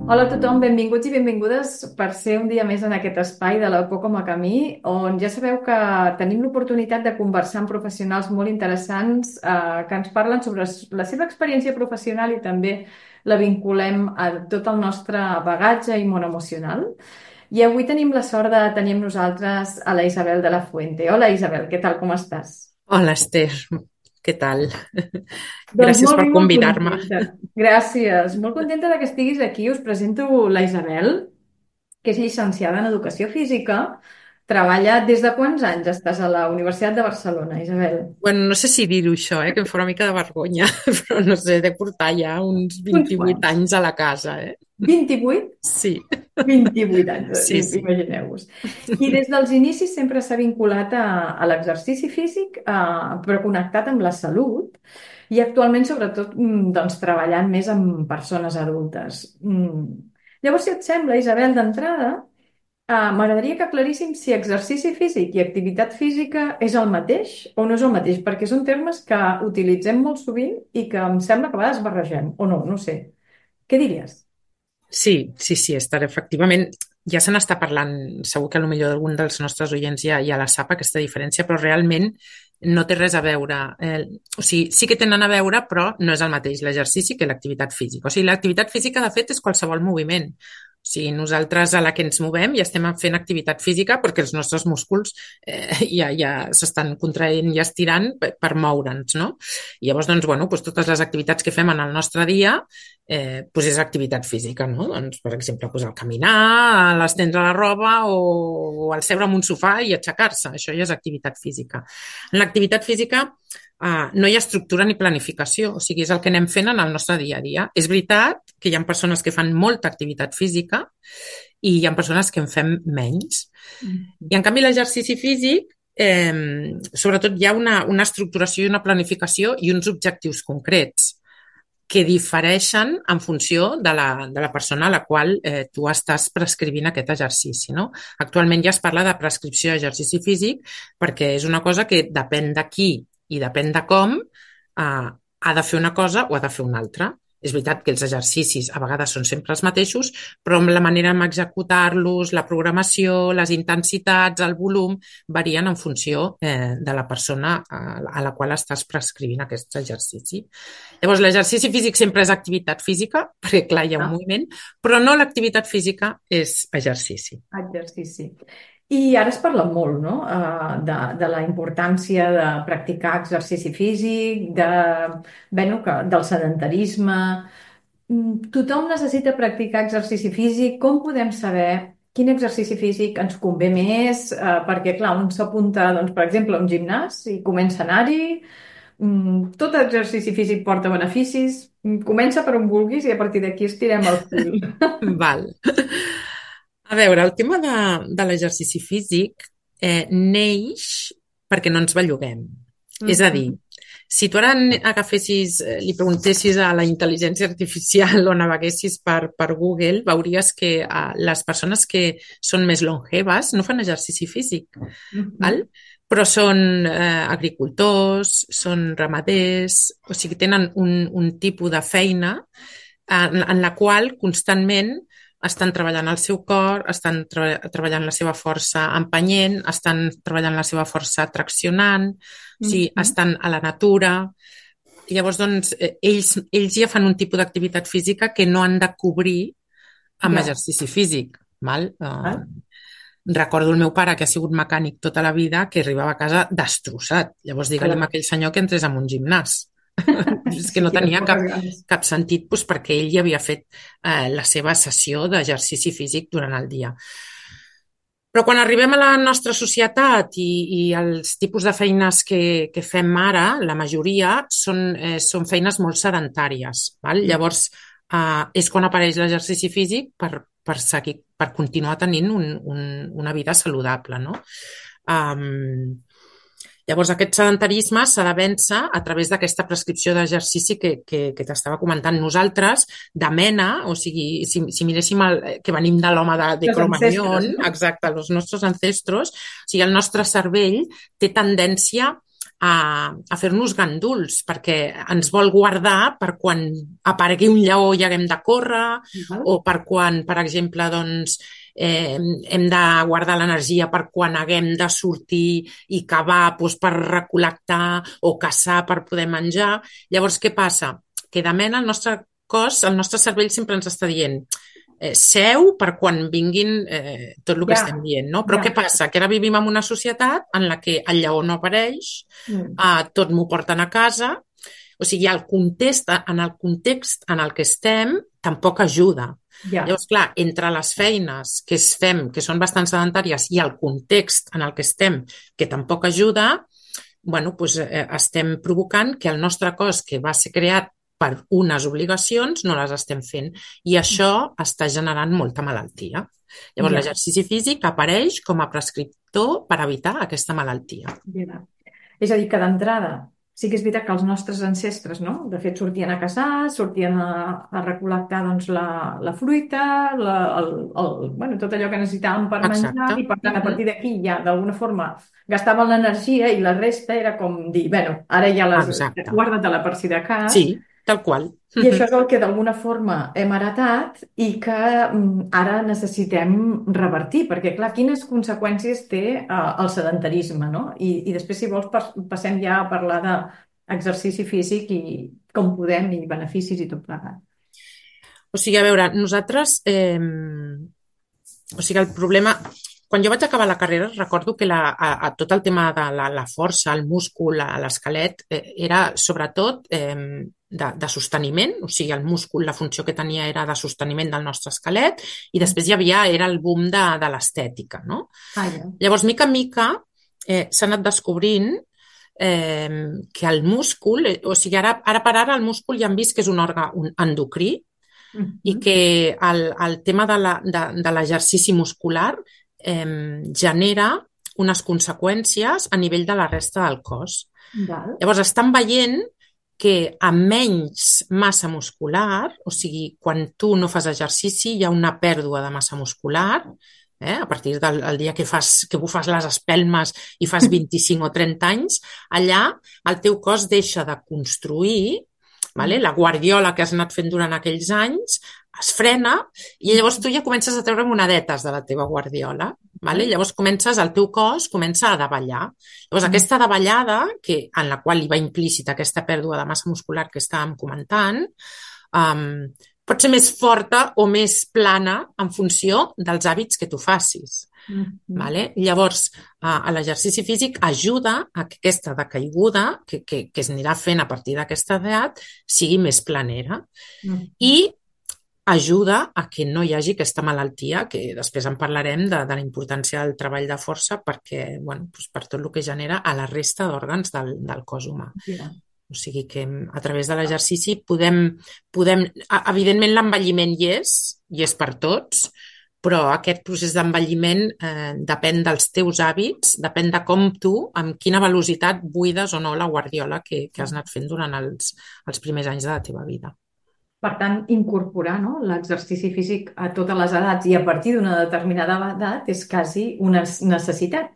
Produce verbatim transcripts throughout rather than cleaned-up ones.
Hola a tothom, benvinguts i benvingudes per ser un dia més en aquest espai de la Por com a camí, on ja sabeu que tenim l'oportunitat de conversar amb professionals molt interessants eh, que ens parlen sobre la seva experiència professional i també la vinculem a tot el nostre bagatge i món emocional. I avui tenim la sort de tenir amb nosaltres a la Isabel de la Fuente. Hola Isabel, què tal, com estàs? Hola, Esther, què tal? Doncs Gràcies molt per bé, molt convidar-me. contenta. Gràcies. Molt contenta de que estiguis aquí. Us presento la Isabel, que és llicenciada en Educació Física. Treballa des de quants anys estàs a la Universitat de Barcelona, Isabel? Bueno, no sé si dir-ho això, eh, que em fa una mica de vergonya, però no sé, de portar ja uns Uns vint-i-vuit quants. anys a la casa, eh? vint i vuit? Sí, vint i vuit anys, sí, i- sí. imagineu-vos. I des dels inicis sempre s'ha vinculat a, a l'exercici físic, eh, però connectat amb la salut i actualment sobretot mm, doncs, treballant més amb persones adultes. Mm. Llavors, si et sembla, Isabel, d'entrada, eh, m'agradaria que aclaríssim si exercici físic i activitat física és el mateix o no és el mateix, perquè són termes que utilitzem molt sovint i que em sembla que a vegades barregem, o no, no sé. Què diries? Sí, sí, sí, Esther, efectivament, ja se n'està parlant, segur que potser algun dels nostres oients ja, ja la sap, aquesta diferència, però realment no té res a veure. Eh, o sigui, sí que tenen a veure, però no és el mateix l'exercici que l'activitat física. O sigui, l'activitat física, de fet, és qualsevol moviment. O sigui, nosaltres a la que ens movem ja estem fent activitat física perquè els nostres músculs eh, ja, ja s'estan contraient i estirant per, per moure'ns, no? I llavors, doncs, bueno, doncs totes les activitats que fem en el nostre dia eh, doncs és activitat física, no? Doncs, per exemple, doncs el caminar, l'estendre la roba o, o el seure en un sofà i aixecar-se. Això ja és activitat física. En l'activitat física Uh, no hi ha estructura ni planificació, o sigui, és el que anem fent en el nostre dia a dia. És veritat que hi ha persones que fan molta activitat física i hi ha persones que en fem menys. I en canvi l'exercici físic, eh, sobretot hi ha una, una estructuració i una planificació i uns objectius concrets que difereixen en funció de la, de la persona a la qual eh, tu estàs prescrivint aquest exercici. No? Actualment ja es parla de prescripció d'exercici físic perquè és una cosa que depèn de qui i depèn de com eh, ha de fer una cosa o ha de fer una altra. És veritat que els exercicis a vegades són sempre els mateixos, però amb la manera d'executar-los, la programació, les intensitats, el volum, varien en funció eh, de la persona a, a la qual estàs prescrivint aquest exercici. Llavors, l'exercici físic sempre és activitat física, perquè clar, hi ha un Ah, moviment, però no l'activitat física és exercici. exercici. I ara es parla molt, no? eh, de, de la importància de practicar exercici físic, de, bueno, que, del sedentarisme. Mm, Tothom necessita practicar exercici físic. Com podem saber quin exercici físic ens convé més? Eh, perquè, clar, un s'apunta, doncs, per exemple, a un gimnàs i comença a anar-hi. Mm, Tot exercici físic porta beneficis. Mm, Comença per on vulguis i a partir d'aquí estirem el fil. Val. A veure, el tema de, de l'exercici físic eh, neix perquè no ens belluguem. És a dir, Mhm. si tu ara agafessis, eh, li preguntessis a la intel·ligència artificial o naveguessis per, per Google, veuries que eh, les persones que són més longeves no fan exercici físic, val? Mhm. Però són eh, agricultors, són ramaders, o sigui, tenen un, un tipus de feina en, en la qual constantment estan treballant el seu cor, estan tre treballant la seva força empenyent, estan treballant la seva força traccionant, o sigui, Mhm. estan a la natura. I llavors, doncs, eh, ells, ells ja fan un tipus d'activitat física que no han de cobrir amb Ja. exercici físic. Val? Uh, Val? recordo el meu pare, que ha sigut mecànic tota la vida, que arribava a casa destrossat. Llavors, digue-li a Clar. aquell senyor que entrés en un gimnàs. És que Sí, no de tenia poques cap, ganes. cap sentit doncs, perquè ell ja havia fet eh, la seva sessió d'exercici físic durant el dia. Però quan arribem a la nostra societat i, i els tipus de feines que, que fem ara, la majoria són, eh, són feines molt sedentàries. Val? Llavors, eh, és quan apareix l'exercici físic per, per, seguir, per continuar tenint un, un, una vida saludable. No? Um, Llavors, aquest sedentarisme s'ha de vèncer a través d'aquesta prescripció d'exercici que, que, que t'estava comentant. Nosaltres, de mena, o sigui, si, si miréssim el, que venim de l'home de, de Los ancestres, Cro-Magnon, no? exacte, els nostres ancestros, o sigui, el nostre cervell té tendència a, a fer-nos ganduls, perquè ens vol guardar per quan aparegui un lleó i haguem de córrer, Val? o per quan, per exemple, doncs, eh, hem de guardar l'energia per quan haguem de sortir i cavar doncs, per recol·lectar o caçar per poder menjar. Llavors, què passa? Que de mena el nostre cos, el nostre cervell sempre ens està dient eh, seu per quan vinguin eh, tot el que Ja, estem dient, no? Però ja. què passa? Que ara vivim en una societat en la que el lleó no apareix, Mm. eh, tot m'ho porten a casa, o sigui, el context, en el context en el que estem tampoc ajuda. Ja, Llavors, clar, entre les feines que es fem, que són bastant sedentàries, i el context en el que estem, que tampoc ajuda, bueno, doncs, eh, estem provocant que el nostre cos, que va ser creat per unes obligacions, no les estem fent. I això està generant molta malaltia. Llavors, ja, l'exercici físic apareix com a prescriptor per evitar aquesta malaltia. ja. És a dir, que d'entrada sí que és veritat que els nostres ancestres, no? De fet, sortien a caçar, sortien a, a recol·lectar doncs, la, la fruita, la, el, el, bueno, tot allò que necessitàvem per menjar, Exacte. i per tant, a Mhm. partir d'aquí ja d'alguna forma gastaven l'energia i la resta era com dir, bueno, ara ja les Exacte. guarda-te-la per si de cas. Sí, tal qual. I això és el que d'alguna forma hem heretat i que mm, ara necessitem revertir, perquè clar, quines conseqüències té eh, el sedentarisme, no? I, i després, si vols, pas, passem ja a parlar d'exercici físic i com podem i beneficis i tot plegat. O sigui, a veure, nosaltres... Eh, o sigui, el problema... Quan jo vaig acabar la carrera, recordo que la, a, a tot el tema de la, la força, el múscul, l'esquelet, eh, era sobretot eh, de, de sosteniment, o sigui, el múscul, la funció que tenia era de sosteniment del nostre esquelet, i després hi havia, era el boom de, de l'estètica, no? Ah, ja. Llavors, mica en mica, eh, s'ha anat descobrint eh, que el múscul, eh, o sigui, ara, ara per ara el múscul ja hem vist que és un òrgan un endocrí, i Mhm. que el, el tema de la- de, de l'exercici muscular eh, genera unes conseqüències a nivell de la resta del cos. Val. Llavors, estan veient que amb menys massa muscular, o sigui, quan tu no fas exercici hi ha una pèrdua de massa muscular, eh? A partir del el dia que, fas, que bufes les espelmes i fas vint-i-cinc o trenta anys, allà el teu cos deixa de construir, vale? La guardiola que has anat fent durant aquells anys es frena i llavors tu ja comences a treure monedetes de la teva guardiola. Vale? Llavors comences, el teu cos comença a davallar. Llavors aquesta davallada, que, en la qual hi va implícita aquesta pèrdua de massa muscular que estàvem comentant, um, pot ser més forta o més plana en funció dels hàbits que tu facis. Mhm. Vale? Llavors, a l'exercici físic ajuda a que aquesta decaiguda que, que, que es anirà fent a partir d'aquesta edat sigui més planera Mhm. i ajuda a que no hi hagi aquesta malaltia, que després en parlarem de, de la importància del treball de força perquè, bueno, doncs per tot el que genera a la resta d'òrgans del, del cos humà. Ja. O sigui que a través de l'exercici podem, podem... Evidentment l'envelliment hi és, i és per tots, però aquest procés d'envelliment eh, depèn dels teus hàbits, depèn de com tu, amb quina velocitat buides o no la guardiola que, que has anat fent durant els, els primers anys de la teva vida. Per tant, incorporar, no, l'exercici físic a totes les edats i a partir d'una determinada edat és quasi una necessitat.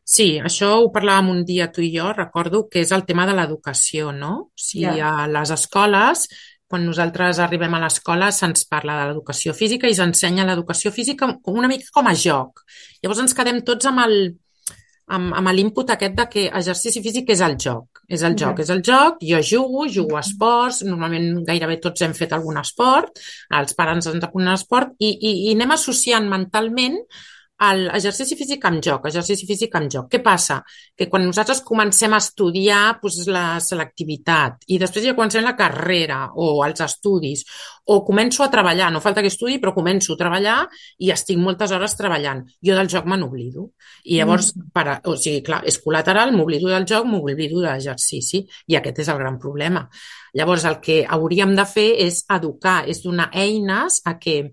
Sí, això ho parlàvem un dia tu i jo, recordo que és el tema de l'educació, no? O sigui, Ja. a les escoles, quan nosaltres arribem a l'escola se'ns parla de l'educació física i s'ensenya l'educació física com una mica com a joc. Llavors ens quedem tots amb el, amb, amb l'input aquest de que exercici físic és el joc. És el joc, Ja. és el joc, jo jugo, jugo a esports, normalment gairebé tots hem fet algun esport, els pares ens apunten a l'esport i, i, i anem associant mentalment l'exercici físic amb joc, exercici físic amb joc. Què passa? Que quan nosaltres comencem a estudiar doncs, la selectivitat i després ja comencem la carrera o els estudis o començo a treballar, no falta que estudi, però començo a treballar i estic moltes hores treballant. Jo del joc me n'oblido. I llavors, per, o sigui, clar, és col·lateral, m'oblido del joc, m'oblido de l'exercici i aquest és el gran problema. Llavors, el que hauríem de fer és educar, és donar eines a que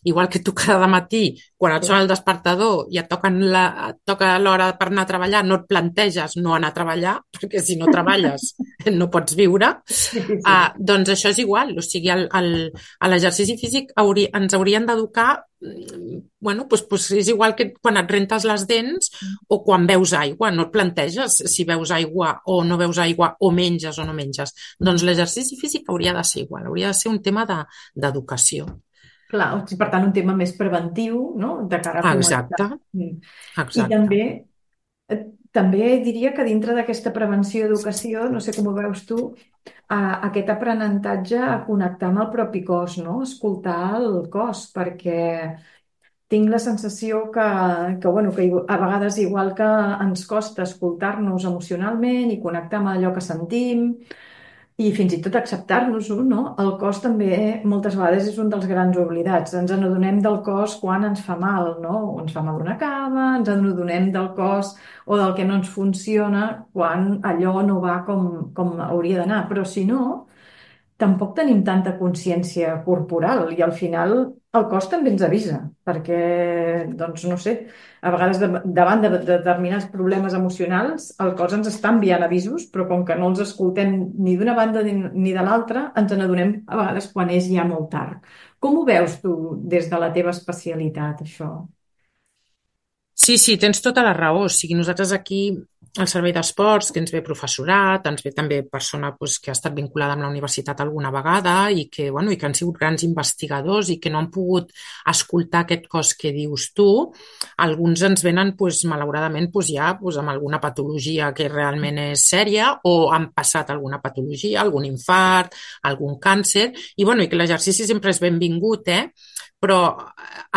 igual que tu cada matí, quan et sona el despertador i et, toquen la, et toca l'hora per anar a treballar, no et planteges no anar a treballar, perquè si no treballes no pots viure, Sí, sí. uh, doncs això és igual. O sigui, el, el, a l'exercici físic hauri, ens haurien d'educar, bueno, doncs, doncs és igual que quan et rentes les dents o quan beus aigua, no et planteges si beus aigua o no beus aigua o menges o no menges. Doncs l'exercici físic hauria de ser igual, hauria de ser un tema de, d'educació. Clar, o sigui, per tant, un tema més preventiu, no?, de cara a fomentar. Exacte, Mm. I exacte. també, eh, també diria que dintre d'aquesta prevenció i educació, no sé com ho veus tu, a aquest aprenentatge a connectar amb el propi cos, no?, escoltar el cos, perquè tinc la sensació que, que, bueno, que a vegades, igual que ens costa escoltar-nos emocionalment i connectar amb allò que sentim, i fins i tot acceptar-nos-ho, no? El cos també moltes vegades és un dels grans oblidats. Ens n'adonem del cos quan ens fa mal, no? O ens fa mal una cama, ens n'adonem del cos o del que no ens funciona quan allò no va com, com hauria d'anar. Però si no, tampoc tenim tanta consciència corporal i al final el cos també ens avisa, perquè, doncs no sé, a vegades de, davant de, de determinats problemes emocionals el cos ens està enviant avisos, però com que no els escoltem ni d'una banda ni, ni de l'altra, ens n'adonem a vegades quan és ja molt tard. Com ho veus tu des de la teva especialitat, això? Sí, sí, tens tota la raó. O sigui, nosaltres aquí al Servei d'Esports, que ens ve professorat, ens ve també persona doncs, que ha estat vinculada amb la universitat alguna vegada i que, bueno, i que han sigut grans investigadors i que no han pogut escoltar aquest cos que dius tu. Alguns ens venen, doncs, malauradament, doncs, ja doncs, amb alguna patologia que realment és sèria o han passat alguna patologia, algun infart, algun càncer, i, bueno, i que l'exercici sempre és benvingut, eh? Però,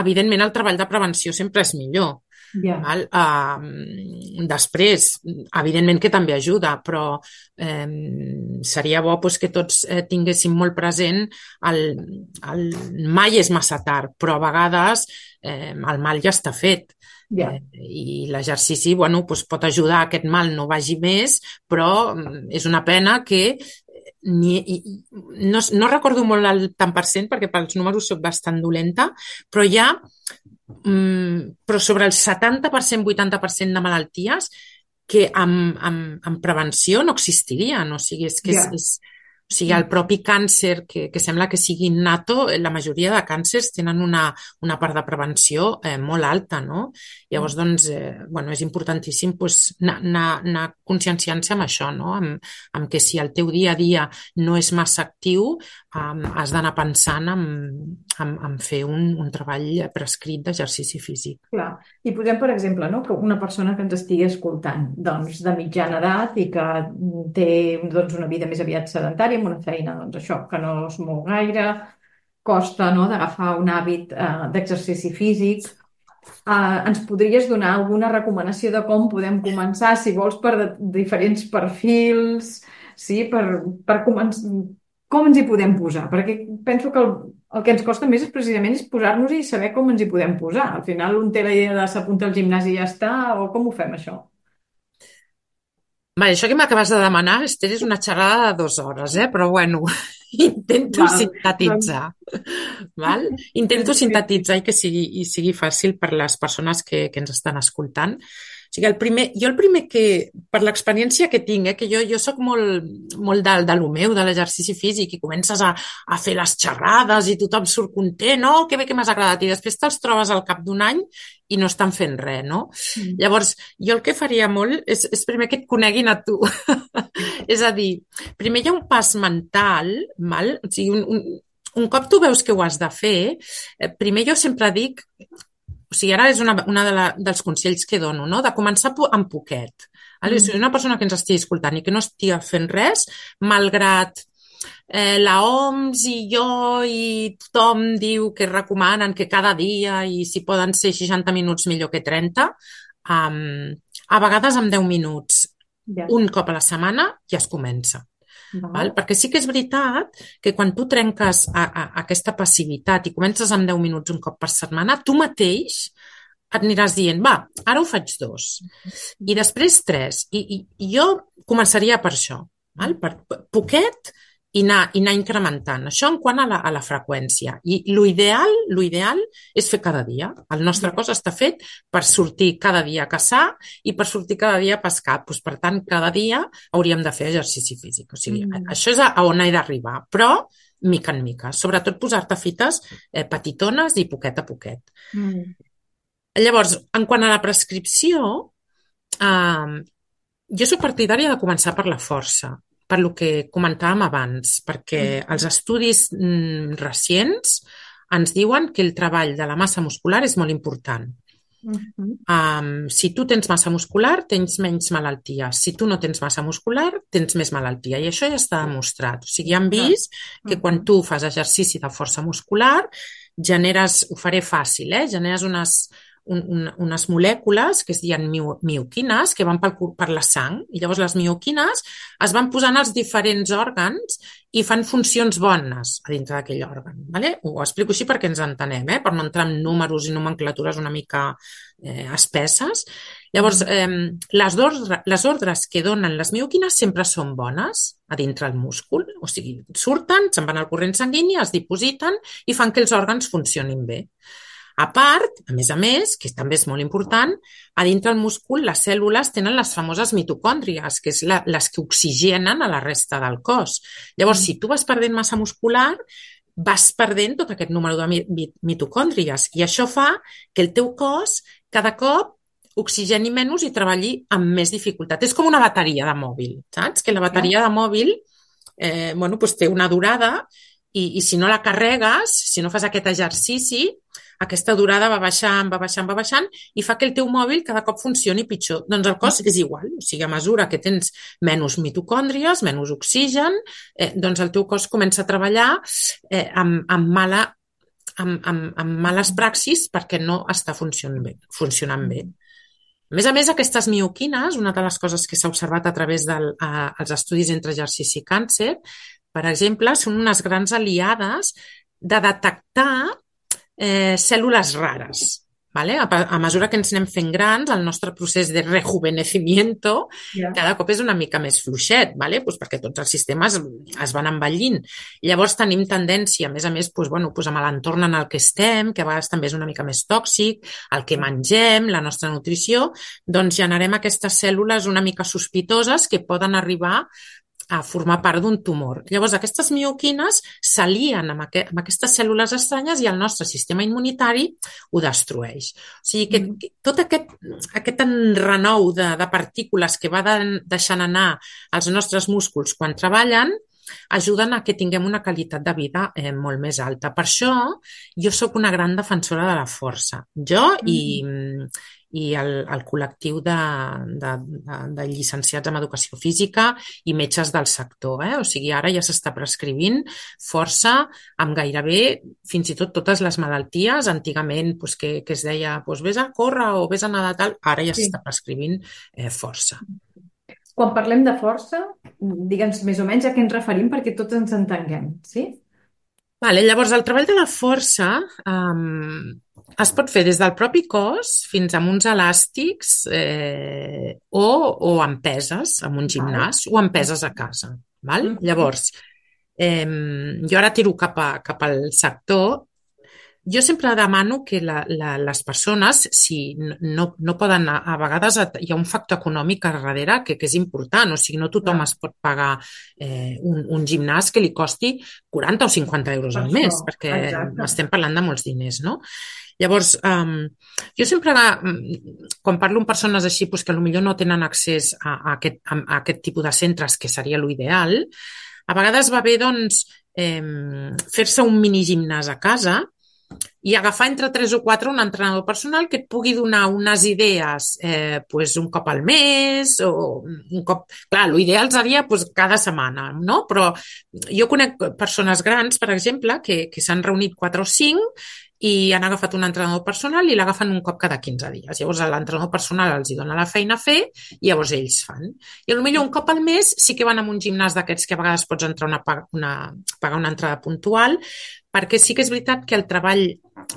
evidentment, el treball de prevenció sempre és millor. Ja. Val? Uh, després, evidentment que també ajuda, però eh, seria bo pues, que tots eh, tinguéssim molt present el, el mai és massa tard, però a vegades eh, el mal ja està fet. Ja. Eh, I l'exercici bueno, pues, pot ajudar a que aquest mal no vagi més, però és una pena que ni, no, no recordo molt el tant per cent perquè pels números soc bastant dolenta, però hi ha Mm, però sobre el setanta per cent, vuitanta per cent de malalties que amb, amb, amb prevenció no existirien. O sigui, és que és, Ja. és, o sigui, el propi càncer, que, que sembla que sigui innato, la majoria de càncers tenen una, una part de prevenció eh, molt alta, no? Llavors, doncs, eh, bueno, és importantíssim pues, anar, anar, anar conscienciant-se amb això, no? Amb, amb que si el teu dia a dia no és massa actiu, um, has d'anar pensant en, en, en fer un, un treball prescrit d'exercici físic. Clar. I posem, per exemple, no, que una persona que ens estigui escoltant, doncs, de mitjana edat i que té doncs, una vida més aviat sedentària, amb una feina doncs, això, que no es mou gaire, costa no, d'agafar un hàbit eh, d'exercici físic. Eh, ens podries donar alguna recomanació de com podem començar, si vols, per de, diferents perfils, sí, per, per començar, com ens hi podem posar? Perquè penso que el, el que ens costa més és precisament és posar-nos-hi i saber com ens hi podem posar. Al final un té la idea de s'apunta al gimnàs i ja està, o com ho fem, això? Vale, això que m'acabes de demanar, Esther, és una xerrada de dues hores, eh? Però bueno, intento Val, doncs, sintetitzar. Val? Intento sintetitzar i que sigui, i sigui fàcil per les persones que, que ens estan escoltant. O sigui, el primer, jo el primer que, per l'experiència que tinc, eh, que jo, jo soc molt, molt de, de lo meu, de l'exercici físic, i comences a, a fer les xerrades i tothom surt content, no? Que bé que m'has agradat. I després te'ls trobes al cap d'un any i no estan fent res, no? Mm. Llavors, jo el que faria molt és, és primer que et coneguin a tu. És a dir, primer hi ha un pas mental, val? O sigui, un, un, un cop tu veus que ho has de fer, eh, primer jo sempre dic, o sigui, ara és una, una de la, dels consells que dono, no? De començar amb poquet. Vale? Mm. Si una persona que ens estigui escoltant i que no estigui fent res, malgrat eh, la O M S i jo i tothom diu que recomanen que cada dia i si poden ser seixanta minuts millor que trenta, um, a vegades amb deu minuts, Ja. un cop a la setmana ja es comença. Val. Val? Perquè sí que és veritat que quan tu trenques a, a, a aquesta passivitat i comences amb deu minuts un cop per setmana, tu mateix et aniràs dient, va, ara ho faig dos, i després tres, i, i, i jo començaria per això, val? Per, per poquet i anar, i anar incrementant. Això en quant a la, a la freqüència. I l'ideal, l'ideal és fer cada dia. El nostre Ja. cos està fet per sortir cada dia a caçar i per sortir cada dia a pescar. Doncs, per tant, cada dia hauríem de fer exercici físic. O sigui, Mm. això és a, a on he d'arribar. Però, mica en mica. Sobretot posar-te fites eh, petitones i poquet a poquet. Mm. Llavors, en quant a la prescripció, eh, jo soc partidària de començar per la força, per lo que comentàvem abans, perquè els estudis mm, recents ens diuen que el treball de la massa muscular és molt important. Mhm. Um, si tu tens massa muscular, tens menys malaltia. Si tu no tens massa muscular, tens més malaltia. I això ja està demostrat. O sigui, han vist que quan tu fas exercici de força muscular, generes, ho faré fàcil, eh? generes unes, un, un, unes molècules que es diuen mio, mioquines que van pel, per la sang i llavors les mioquines es van posant als diferents òrgans i fan funcions bones a dintre d'aquell òrgan. Vale? Ho explico així perquè ens entenem, eh? per no entrar en números i nomenclatures una mica eh, espesses. Llavors, eh, les, ordre, les ordres que donen les mioquines sempre són bones a dintre el múscul, o sigui, surten, se'n van al corrent sanguini, es dipositen i fan que els òrgans funcionin bé. A part, a més a més, que també és molt important, a dintre del múscul les cèl·lules tenen les famoses mitocòndries, que és la, les que oxigenen a la resta del cos. Llavors, si tu vas perdent massa muscular, vas perdent tot aquest número de mitocòndries i això fa que el teu cos cada cop oxigeni menys i treballi amb més dificultat. És com una bateria de mòbil, saps? Que la bateria de mòbil eh, bueno, doncs té una durada i, i si no la carregues, si no fas aquest exercici, aquesta durada va baixant, va baixant, va baixant i fa que el teu mòbil cada cop funcioni pitjor. Doncs el cos és igual, o sigui, a mesura que tens menys mitocòndries, menys oxigen, eh, doncs el teu cos comença a treballar eh, amb, amb, mala, amb, amb, amb males praxis perquè no està funcionant bé. Funcionant bé. A més a més, aquestes mioquines, una de les coses que s'ha observat a través dels de, estudis entre exercici i càncer, per exemple, són unes grans aliades de detectar Eh, cèl·lules rares. ¿Vale? A, a mesura que ens anem fent grans, el nostre procés de rejuvenecimiento yeah. cada cop és una mica més fluixet, ¿vale? Pues perquè tots els sistemes es van envellint. Llavors tenim tendència, a més a més, pues, bueno, pues amb l'entorn en el que estem, que a vegades també és una mica més tòxic, el que mengem, la nostra nutrició, doncs generem aquestes cèl·lules una mica sospitoses que poden arribar a formar part d'un tumor. Llavors, aquestes mioquines s'alien amb, aqu amb aquestes cèl·lules estranyes i el nostre sistema immunitari ho destrueix. O sigui que, que tot aquest, aquest enrenou de, de partícules que va de, deixant anar als nostres músculs quan treballen ajuden a que tinguem una qualitat de vida eh, molt més alta. Per això jo sóc una gran defensora de la força. Jo mm. i... i el, el col·lectiu de, de, de, de llicenciats en educació física i metges del sector. Eh? O sigui, ara ja s'està prescrivint força amb gairebé fins i tot totes les malalties. Antigament pues, que, que es deia pues, vés a córrer o vés a nedar tal, ara ja s'està sí. prescrivint eh, força. Quan parlem de força, digue'ns més o menys a què ens referim perquè tots ens entenguem, sí? Vale, llavors, el treball de la força um, es pot fer des del propi cos fins a uns elàstics eh, o, o amb peses, en un gimnàs, o amb peses a casa. Val? Mm-hmm. Llavors, eh, jo ara tiro cap, a, cap al sector. Jo sempre demano que la, la, les persones, si no, no poden, a, a vegades hi ha un factor econòmic a darrere que, que és important, o sigui, no tothom es pot pagar eh, un, un gimnàs que li costi quaranta o cinquanta euros al mes, perquè exacte. Estem parlant de molts diners, no? Llavors, um, jo sempre, quan parlo amb persones així pues, que potser no tenen accés a, a, aquest, a, a aquest tipus de centres, que seria l'ideal, a vegades va bé doncs, eh, fer-se un mini gimnàs a casa i agafar entre tres o quatre un entrenador personal que et pugui donar unes idees eh, pues un cop al mes o un cop... Clar, l'ideal seria pues, cada setmana, no? Però jo conec persones grans, per exemple, que, que s'han reunit quatre o cinc i han agafat un entrenador personal i l'agafen un cop cada quinze dies. Llavors l'entrenador personal els hi dona la feina a fer i llavors ells fan. I potser un cop al mes sí que van a un gimnàs d'aquests que a vegades pots entrar una, una, pagar una entrada puntual, perquè sí que és veritat que el treball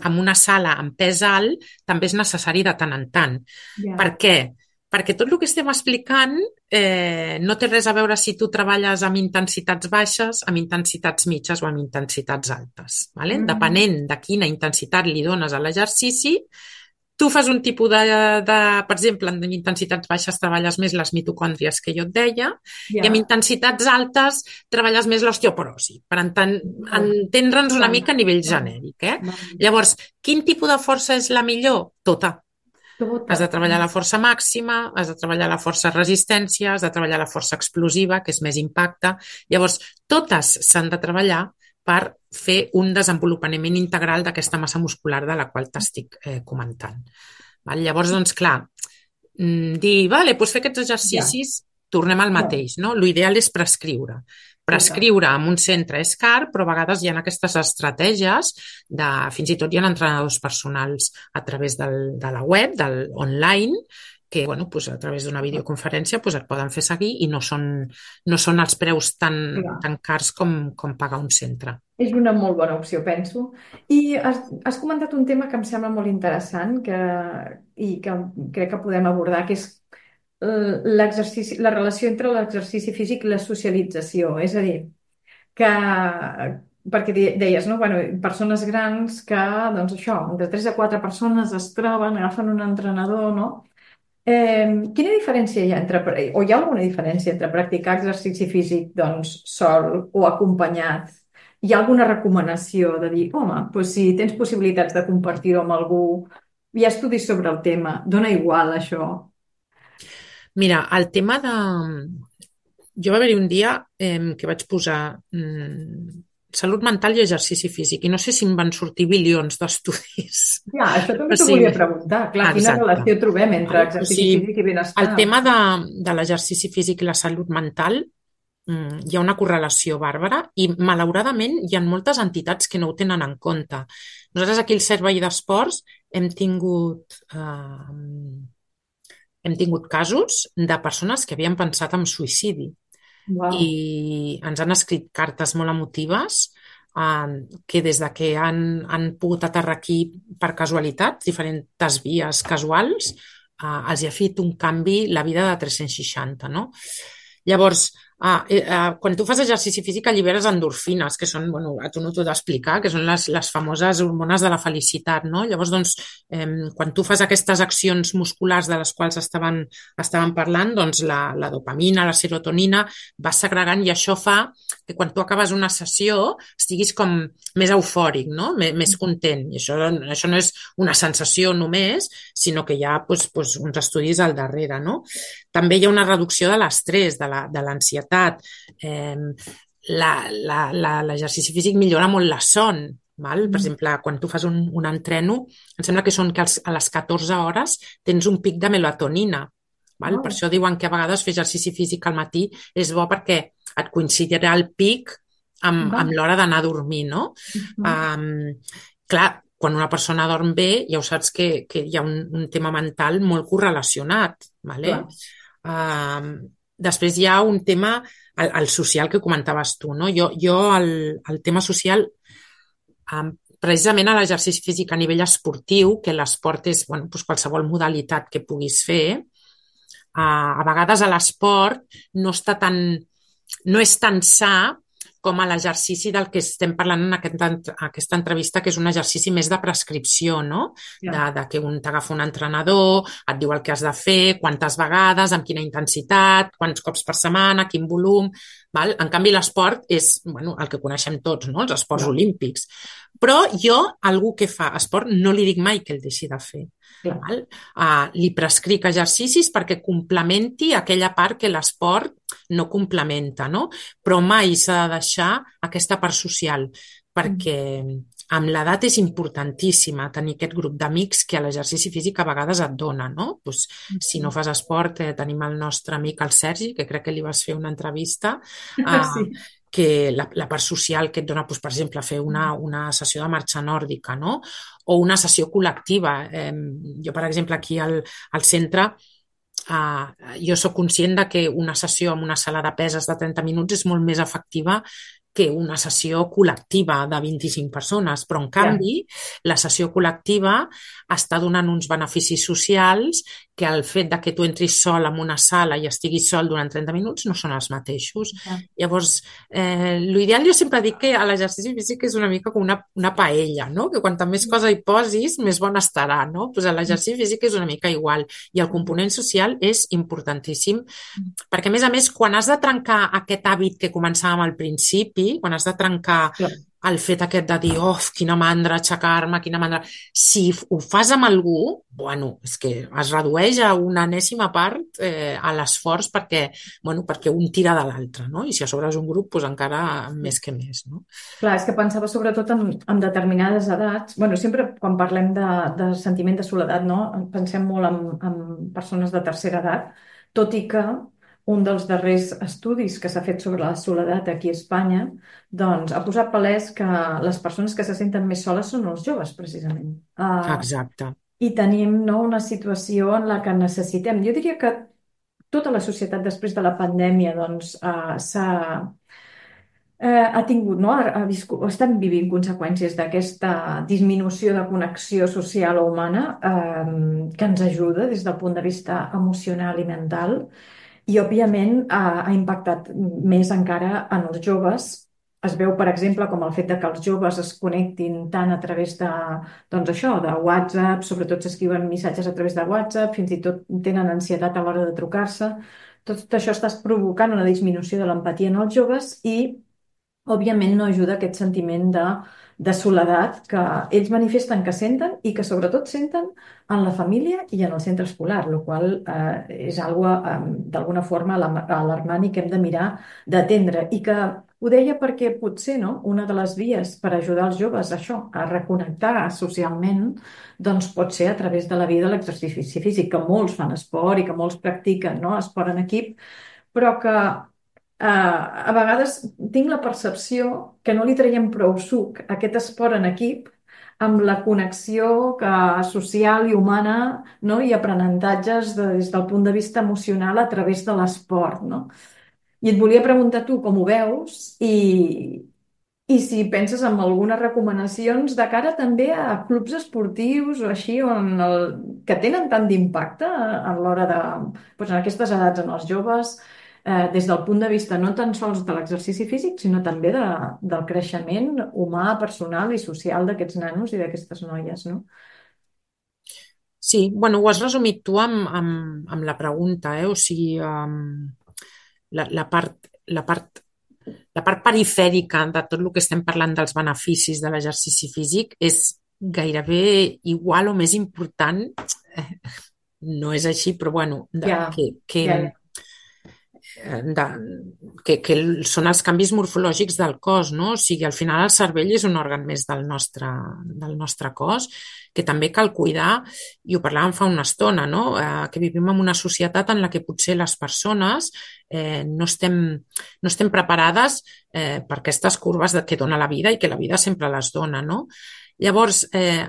en una sala amb pes alt també és necessari de tant en tant. Yeah. Per què? perquè tot el que estem explicant eh, no té res a veure si tu treballes amb intensitats baixes, amb intensitats mitges o amb intensitats altes. Vale? Mm, Depenent de quina intensitat li dones a l'exercici, tu fas un tipus de, de, per exemple, en intensitats baixes treballes més les mitocòndries que jo et deia, i amb ja, intensitats altes treballes més l'osteoporosi, per enten, oh, entendre'ns una val, mica a nivell val, genèric. Eh? val. Llavors, quin tipus de força és la millor? Tota. Tota. Has de treballar la força màxima, has de treballar la força resistència, has de treballar la força explosiva, que és més impacte. Llavors, totes s'han de treballar per fer un desenvolupament integral d'aquesta massa muscular de la qual t'estic eh, comentant. Val? Llavors, doncs, clar, dir, vale, doncs fer aquests Ja, exercicis, tornem al no, mateix, no? L'ideal és prescriure. tota. Prescriure en un centre és car, però a vegades hi ha aquestes estratègies de, fins i tot hi ha entrenadors personals a través del, de la web, del online, que bueno, pues a través d'una videoconferència pues et poden fer seguir i no són, no són els preus tan, Clar. tan cars com, com pagar un centre. És una molt bona opció, penso. I has, has comentat un tema que em sembla molt interessant que, i que crec que podem abordar, que és eh, l'exercici, la relació entre l'exercici físic i la socialització. És a dir, que, perquè de- deies, no? Bueno, persones grans que, doncs això, de tres a quatre persones es troben, agafen un entrenador, no? Eh, quina diferència hi ha entre, o hi ha alguna diferència entre practicar exercici físic doncs, sol o acompanyat? Hi ha alguna recomanació de dir, home, doncs si tens possibilitats de compartir-ho amb algú, hi ha estudis sobre el tema, dona igual això? Mira, el tema de... Jo va haver-hi un dia eh, que vaig posar mm, salut mental i exercici físic i no sé si em van sortir bilions d'estudis. Ja, això també O t'ho sigui, volia preguntar. Clar, quina exacte. relació trobem entre Val? O exercici sigui, físic i el benestar? tema de, de l'exercici físic i la salut mental mm, hi ha una correlació bàrbara i malauradament hi ha moltes entitats que no ho tenen en compte. Nosaltres aquí al Servei d'Esports hem tingut eh, hem tingut casos de persones que havien pensat en suïcidi i Wow. ens han escrit cartes molt emotives eh, que des de que han, han pogut aterrar aquí per casualitat, diferents vies casuals, eh, els hi ha fet un canvi la vida de tres-cents seixanta, no? Llavors, ah, eh, eh, quan tu fas exercici físic alliberes endorfines, que són, bueno, a tu no t'ho d'explicar, que són les, les famoses hormones de la felicitat, no? Llavors, doncs, eh, quan tu fas aquestes accions musculars de les quals estaven, estaven parlant, doncs la, la dopamina, la serotonina, va segregant i això fa que quan tu acabes una sessió estiguis com més eufòric, no? M més content. I això, això no és una sensació només, sinó que hi ha doncs, doncs, uns estudis al darrere, no? També hi ha una reducció de l'estrès, de l'ansietat. Eh, L'exercici físic millora molt la son. Val? Per Mm. exemple, quan tu fas un, un entreno, em sembla que són que als, a les catorze hores tens un pic de melatonina. Val? Per Oh, això diuen que a vegades fer exercici físic al matí és bo perquè et coincidirà el pic amb, va. amb l'hora d'anar a dormir, no? Mhm. Um, clar, quan una persona dorm bé, ja ho saps que, que hi ha un, un tema mental molt correlacionat, vale? Clar. Uh, després hi ha un tema, el, el social que comentaves tu, no? Jo, jo el, el tema social, um, precisament a l'exercici físic a nivell esportiu, que l'esport és bueno, doncs qualsevol modalitat que puguis fer, uh, a vegades a l'esport no està tan, no és tan sa com a l'exercici del que estem parlant en aquest, aquesta entrevista, que és un exercici més de prescripció, no? De, Ja. de que un t'agafa un entrenador, et diu el que has de fer, quantes vegades, amb quina intensitat, quants cops per setmana, quin volum... Val? En canvi, l'esport és bueno, el que coneixem tots, no? Els esports Clar. olímpics. Però jo, algú que fa esport, no li dic mai que el deixi de fer. Clar. Val? Uh, li prescric exercicis perquè complementi aquella part que l'esport no complementa, no? Però mai s'ha de deixar aquesta part social, Mm. perquè amb l'edat és importantíssima tenir aquest grup d'amics que a l'exercici físic a vegades et dona, no? Pues, si no fas esport, eh, tenim el nostre amic el Sergi, que crec que li vas fer una entrevista, eh, Sí. que la, la part social que et dona, doncs, per exemple, fer una, una sessió de marxa nòrdica, no? O una sessió col·lectiva. Eh, jo, per exemple, aquí al, al centre, eh, jo sóc conscient de que una sessió amb una sala de peses de trenta minuts és molt més efectiva que una sessió col·lectiva de vint-i-cinc persones, però en Ja. canvi la sessió col·lectiva està donant uns beneficis socials que el fet de que tu entris sol en una sala i estiguis sol durant trenta minuts no són els mateixos. Ja. Llavors, eh, l'ideal jo sempre dic que l'exercici físic és una mica com una, una paella, no? Que quanta més cosa hi posis, més bona estarà, no? Pues l'exercici físic és una mica igual. I el component social és importantíssim, perquè a més a més, quan has de trencar aquest hàbit que començàvem al principi, quan has de trencar Clar. el fet aquest de dir, oh, quina mandra aixecar-me, quina mandra... Si ho fas amb algú, bueno, és que es redueix a una enèsima part eh, a l'esforç perquè, bueno, perquè un tira de l'altre, no? I si a sobre és un grup, doncs encara més que més, no? Clar, és que pensava sobretot en, en determinades edats. Bueno, sempre quan parlem de, de sentiment de soledat, no? Pensem molt en, en persones de tercera edat, tot i que un dels darrers estudis que s'ha fet sobre la soledat aquí a Espanya doncs, ha posat palès que les persones que se senten més soles són els joves, precisament. Uh, Exacte. I tenim, no, una situació en la que necessitem. Jo diria que tota la societat després de la pandèmia doncs, uh, s'ha eh, ha tingut, no? ha, ha viscut, estem vivint conseqüències d'aquesta disminució de connexió social o humana eh, que ens ajuda des del punt de vista emocional i mental i, òbviament, ha, ha impactat més encara en els joves. Es veu, per exemple, com el fet de que els joves es connectin tant a través de, doncs això, de WhatsApp, sobretot s'escriuen missatges a través de WhatsApp, fins i tot tenen ansietat a l'hora de trucar-se. Tot això està provocant una disminució de l'empatia en els joves i òbviament no ajuda aquest sentiment de, de soledat que ells manifesten que senten i que sobretot senten en la família i en el centre escolar, el qual eh, és algo eh, d'alguna forma alarmant i que hem de mirar d'atendre. I que ho deia perquè potser, no, una de les vies per ajudar els joves a això, a reconnectar socialment, doncs pot ser a través de la via de l'exercici físic, que molts fan esport i que molts practiquen, no, esport en equip, però que Uh, a vegades tinc la percepció que no li traiem prou suc a aquest esport en equip amb la connexió que, social i humana, no? I aprenentatges de, des del punt de vista emocional a través de l'esport. No? I et volia preguntar tu com ho veus i, i si penses en algunes recomanacions de cara també a clubs esportius o així on el, que tenen tant d'impacte a l'hora de, doncs en aquestes edats en els joves, eh, des del punt de vista no tan sols de l'exercici físic, sinó també de, del creixement humà, personal i social d'aquests nanos i d'aquestes noies, no? Sí, bueno, ho has resumit tu amb, amb, amb la pregunta, eh? O sigui, um, la, la part, la part la part perifèrica de tot el que estem parlant dels beneficis de l'exercici físic és gairebé igual o més important, eh, no és així, però bueno, de, Ja, que, que, ja, de, que, que són els canvis morfològics del cos, no? O sigui, al final el cervell és un òrgan més del nostre, del nostre cos, que també cal cuidar, i ho parlàvem fa una estona, no? Eh, que vivim en una societat en la que potser les persones eh, no, estem, no estem preparades eh, per aquestes curves de, que dona la vida i que la vida sempre les dona, no? Llavors, eh,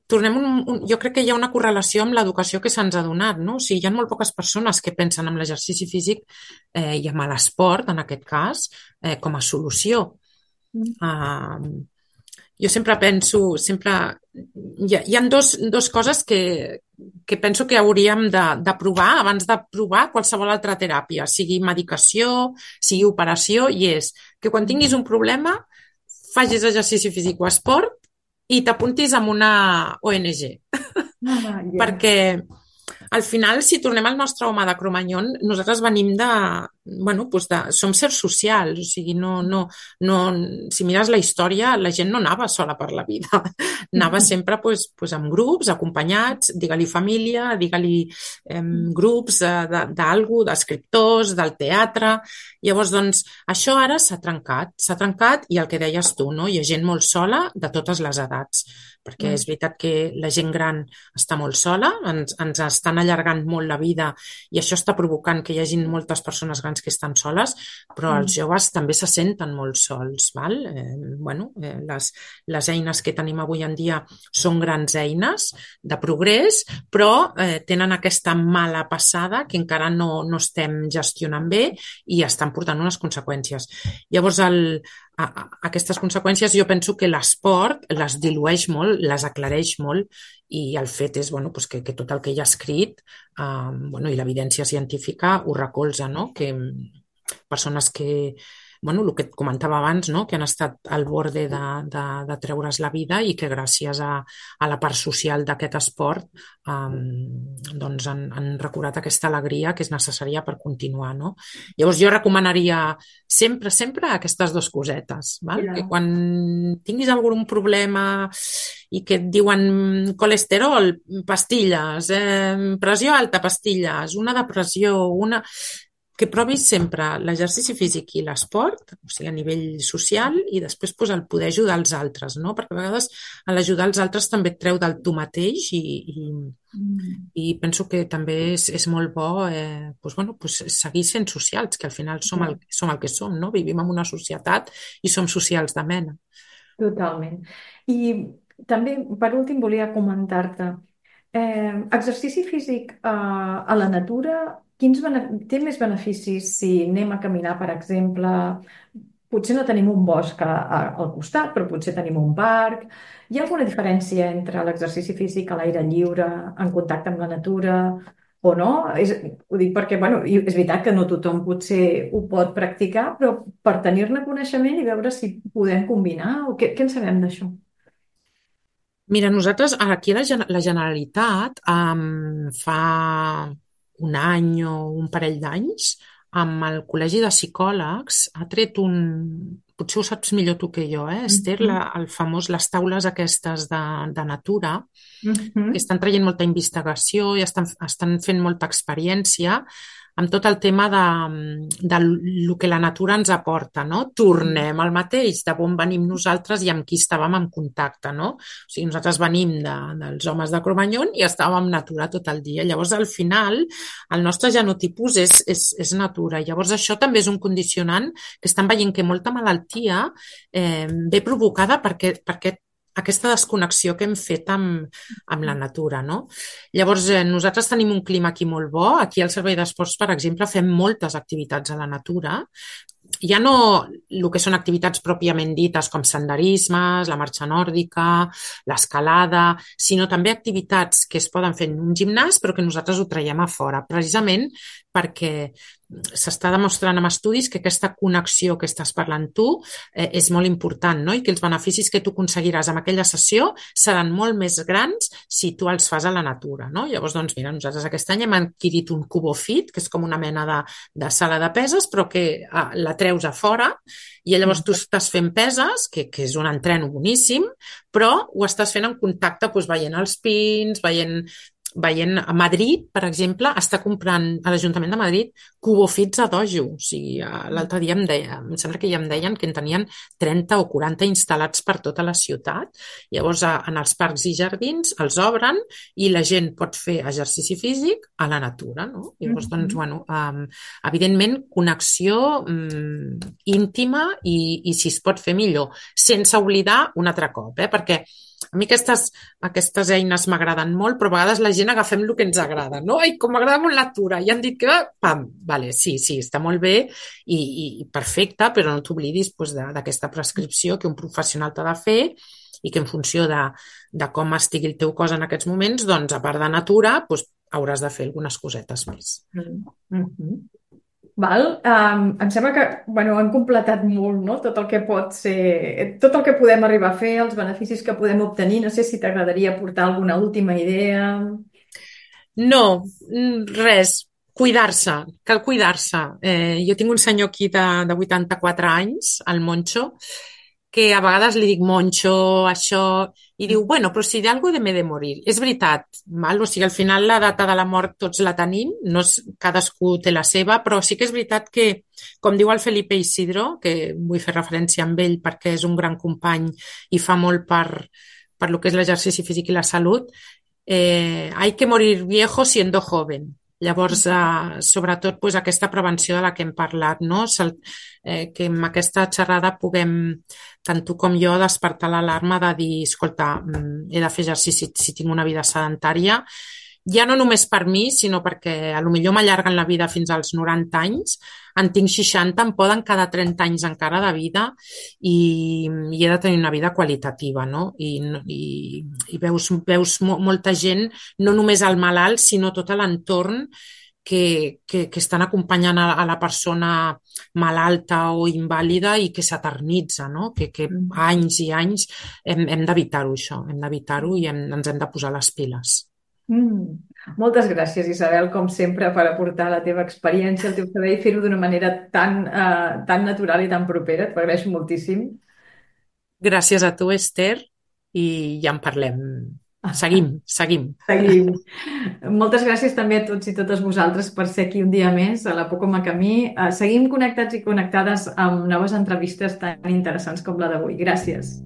tornem un, un, jo crec que hi ha una correlació amb l'educació que se'ns ha donat, no? O sigui, hi ha molt poques persones que pensen en l'exercici físic eh, i en l'esport, en aquest cas, eh, com a solució. Uh, jo sempre penso, sempre... Hi ha, hi ha dos, dos coses que, que penso que hauríem de, de provar abans de provar qualsevol altra teràpia, sigui medicació, sigui operació, i és que quan tinguis un problema facis exercici físic o esport i t'apuntis amb una O N G. ah, ja. Perquè al final, si tornem al nostre home de Cromanyón, nosaltres venim de... Bueno, doncs de, som sers socials, o sigui, no, no, no, si mires la història, la gent no anava sola per la vida. Anava sempre doncs, doncs, amb grups, acompanyats, digue-li família, digue-li eh, grups d'algú, d'escriptors, del teatre. Llavors, doncs, això ara s'ha trencat, s'ha trencat i el que deies tu, no? Hi ha gent molt sola de totes les edats, perquè és veritat que la gent gran està molt sola, ens, ens estan allargant molt la vida i això està provocant que hi hagi moltes persones grans que estan soles, però els joves també se senten molt sols. Val? Eh, bueno, eh, les, les eines que tenim avui en dia són grans eines de progrés, però eh, tenen aquesta mala passada que encara no, no estem gestionant bé i estan portant unes conseqüències. Llavors, el, a, a aquestes conseqüències jo penso que l'esport les dilueix molt, les aclareix molt i el fet és bueno, pues que, que tot el que hi ha escrit eh, bueno, i l'evidència científica ho recolza, no? Que persones que, bueno, el que et comentava abans, no? Que han estat al borde de, de, de treure's la vida i que gràcies a, a la part social d'aquest esport um, doncs han, han recuperat aquesta alegria que és necessària per continuar, no? Llavors jo recomanaria sempre, sempre aquestes dues cosetes, val? Ja. Que quan tinguis algun problema i que et diuen colesterol, pastilles, eh, pressió alta, pastilles, una depressió, una que provis sempre l'exercici físic i l'esport, o sigui, a nivell social, i després pues, el poder ajudar els altres, no? Perquè a vegades l'ajudar els altres també et treu del tu mateix i, i, Mm. i penso que també és, és molt bo eh, pues, bueno, pues, seguir sent socials, que al final som el, som el que som, no? Vivim en una societat i som socials de mena. Totalment. I també, per últim, volia comentar-te, eh, exercici físic eh, a la natura, quins bene- té més beneficis si anem a caminar, per exemple? Potser no tenim un bosc a, a, al costat, però potser tenim un parc. Hi ha alguna diferència entre l'exercici físic a l'aire lliure, en contacte amb la natura, o no? És, ho dic perquè, bueno, i és veritat que no tothom potser ho pot practicar, però per tenir-ne coneixement i veure si podem combinar, o què, què en sabem d'això? Mira, nosaltres aquí a la, Gen- la Generalitat um, fa un any o un parell d'anys amb el Col·legi de Psicòlegs ha tret un, potser ho saps millor tu que jo, eh, Esther, Mhm. la, el famós, les taules aquestes de, de natura, que Mhm. estan traient molta investigació i estan, estan fent molta experiència amb tot el tema de, de lo que la natura ens aporta, no? Tornem al mateix, de on venim nosaltres i amb qui estàvem en contacte, no? O sigui, nosaltres venim de, dels homes de Cromanyón i estàvem en natura tot el dia. Llavors, al final, el nostre genotipus és, és, és natura. Llavors, això també és un condicionant que estan veient que molta malaltia eh, ve provocada perquè, perquè aquesta desconnexió que hem fet amb, amb la natura, no? Llavors, eh, nosaltres tenim un clima aquí molt bo. Aquí al Servei d'Esports, per exemple, fem moltes activitats a la natura. Ja no el que són activitats pròpiament dites com senderismes, la marxa nòrdica, l'escalada, sinó també activitats que es poden fer en un gimnàs però que nosaltres ho traiem a fora, precisament perquè s'està demostrant amb estudis que aquesta connexió que estàs parlant tu eh, és molt important, no? I que els beneficis que tu aconseguiràs amb aquella sessió seran molt més grans si tu els fas a la natura, no? Llavors, doncs, mira, nosaltres aquest any hem adquirit un CuboFit, que és com una mena de, de sala de peses, però que ah, la treus a fora i llavors tu estàs fent peses, que, que és un entreno boníssim, però ho estàs fent en contacte, doncs, veient els pins, veient veient a Madrid, per exemple, està comprant a l'Ajuntament de Madrid cubofits a dojo. O sigui, l'altre dia em deia, em sembla que ja em deien que en tenien trenta o quaranta instal·lats per tota la ciutat. Llavors, en els parcs i jardins els obren i la gent pot fer exercici físic a la natura, no? Llavors, doncs, bueno, um, evidentment, connexió um, íntima i, i si es pot fer millor, sense oblidar un altre cop, eh? Perquè a mi aquestes, aquestes eines m'agraden molt, però a vegades la gent agafem el que ens agrada, no? Ai, com m'agrada molt la natura, i han dit que, pam, vale, sí, sí, està molt bé i, i perfecte, però no t'oblidis pues, d'aquesta prescripció que un professional t'ha de fer i que en funció de, de com estigui el teu cos en aquests moments, doncs, a part de natura, pues, hauràs de fer algunes cosetes més. Mm-hmm. Val? Um, em sembla que bueno, hem completat molt, no? Tot el que pot ser, tot el que podem arribar a fer, els beneficis que podem obtenir. No sé si t'agradaria aportar alguna última idea. No, res. Cuidar-se, cal cuidar-se. Eh, jo tinc un senyor aquí de, de vuitanta-quatre anys, el Moncho, que a vegades li dic Moncho, això, i diu, bueno, però si d'algú de m'he de morir. És veritat, val? O sigui, al final la data de la mort tots la tenim, no és, cadascú té la seva, però sí que és veritat que, com diu el Felipe Isidro, que vull fer referència amb ell perquè és un gran company i fa molt per, per lo que és l'exercici físic i la salut, eh, hay que morir viejo siendo joven. Llavors, eh, sobretot, pues, aquesta prevenció de la que hem parlat, no? Eh, que amb aquesta xerrada puguem, tant tu com jo, despertar l'alarma de dir, escolta, he de fer exercici si tinc una vida sedentària ja no només per mi, sinó perquè a lo millor m'allarguen la vida fins als noranta anys, en tinc seixanta, em poden quedar trenta anys encara de vida i, i he de tenir una vida qualitativa, no? I, i, i veus, veus mo, molta gent, no només el malalt, sinó tot l'entorn que, que, que estan acompanyant a, a la persona malalta o invàlida i que s'eternitza, no? Que, que Mm. anys i anys hem, hem d'evitar-ho, això, hem d'evitar-ho i hem, ens hem de posar les piles. Mm. Moltes gràcies, Isabel, com sempre, per aportar la teva experiència, el teu saber i fer-ho d'una manera tan, eh, tan natural i tan propera. T'ho agraeixo moltíssim. Gràcies a tu, Esther, i ja en parlem. Seguim, seguim. Seguim. Moltes gràcies també a tots i totes vosaltres per ser aquí un dia més a la Por com a Camí. Eh, Seguim connectats i connectades amb noves entrevistes tan interessants com la d'avui. Gràcies.